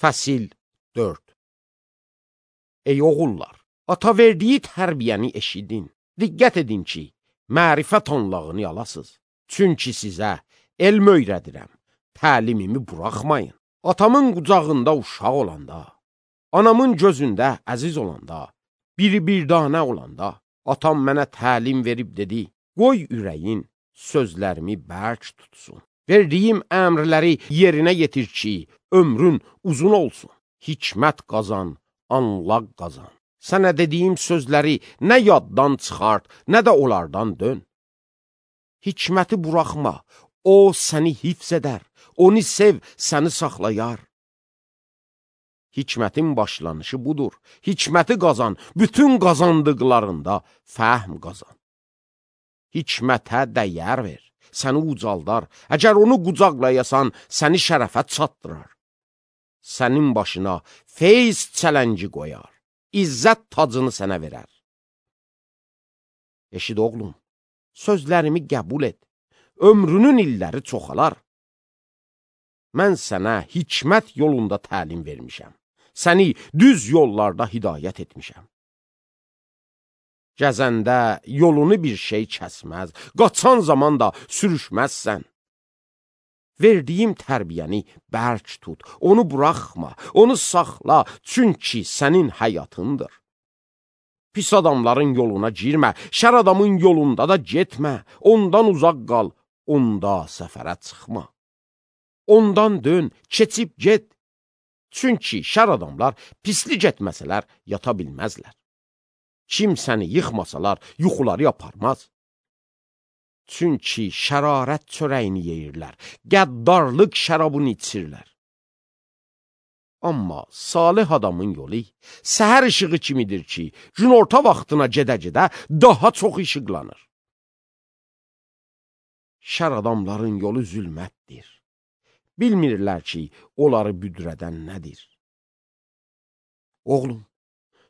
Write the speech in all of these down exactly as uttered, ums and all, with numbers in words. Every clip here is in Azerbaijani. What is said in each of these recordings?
Fəsil dörd. Ey oğullar, ata verdiyi tərbiyəni eşidin. Diqqət edin ki, mərifət onlağını alasız. Çünki sizə elm öyrədirəm, təlimimi buraxmayın. Atamın qucağında uşaq olanda, anamın gözündə əziz olanda, biri bir danə olanda, atam mənə təlim verib dedi, qoy ürəyin sözlərimi bərk tutsun. Verdiyim əmrləri yerinə yetir ki, ömrün uzun olsun. Hikmət qazan, anlaq qazan. Sənə dediyim sözləri nə yaddan çıxart, nə də onlardan dön. Hikməti buraxma, o səni hifz edər, onu sev, səni saxlayar. Hikmətin başlanışı budur. Hikməti qazan, bütün qazandıqlarında fəhm qazan. Hikmətə dəyər ver, səni ucaldar. Əgər onu qucaqlayasan, səni şərəfə çatdırar. Sənin başına feyz çələngi qoyar, izzət tacını sənə verər. Eşid oğlum, sözlərimi qəbul et, ömrünün illəri çoxalar. Mən sənə hikmət yolunda təlim vermişəm, səni düz yollarda hidayət etmişəm. Gəzəndə yolunu bir şey kəsməz, qaçan zaman da sürüşməzsən. Verdiyim tərbiyəni bərk tut, onu buraxma, onu saxla, çünki sənin həyatındır. Pis adamların yoluna girmə, şər adamın yolunda da getmə, ondan uzaq qal, onda səfərə çıxma. Ondan dön, keçib get, çünki şər adamlar pislik etməsələr yata bilməzlər. Kim səni yıxmasalar yuxuları aparmaz. Çünki şərarət çörəyini yeyirlər, qəddarlıq şərabını içirlər. Amma salih adamın yolu səhər işığı kimidir ki, günorta vaxtına gedə-gedə daha çox işıqlanır. Şər adamların yolu zülmətdir. Bilmirlər ki, onları büdrədən nədir. Oğlum,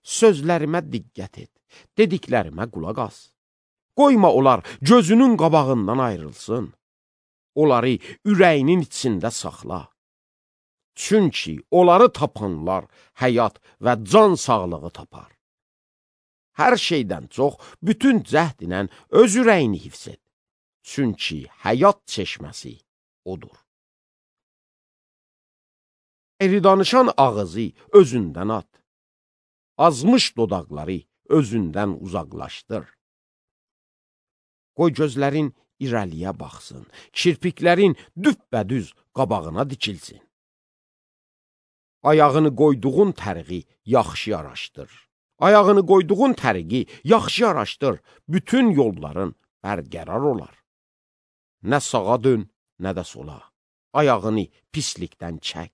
sözlərimə diqqət et, dediklərimə qulaq as. Qoyma onlar gözünün qabağından ayrılsın. Onları ürəyinin içində saxla. Çünki onları tapanlar həyat və can sağlığı tapar. Hər şeydən çox bütün cəhd ilə öz ürəyini hifz et. Çünki həyat çeşməsi odur. Eri danışan ağızı özündən at. Azmış dodaqları özündən uzaqlaşdır. Qoy gözlərin irəliyə baxsın, kirpiklərin düppədüz qabağına dikilsin. Ayağını qoyduğun təriqi yaxşı araşdır. Ayağını qoyduğun təriqi yaxşı araşdır, bütün yolların bərqərar olar. Nə sağa dön, nə də sola. Ayağını pislikdən çək.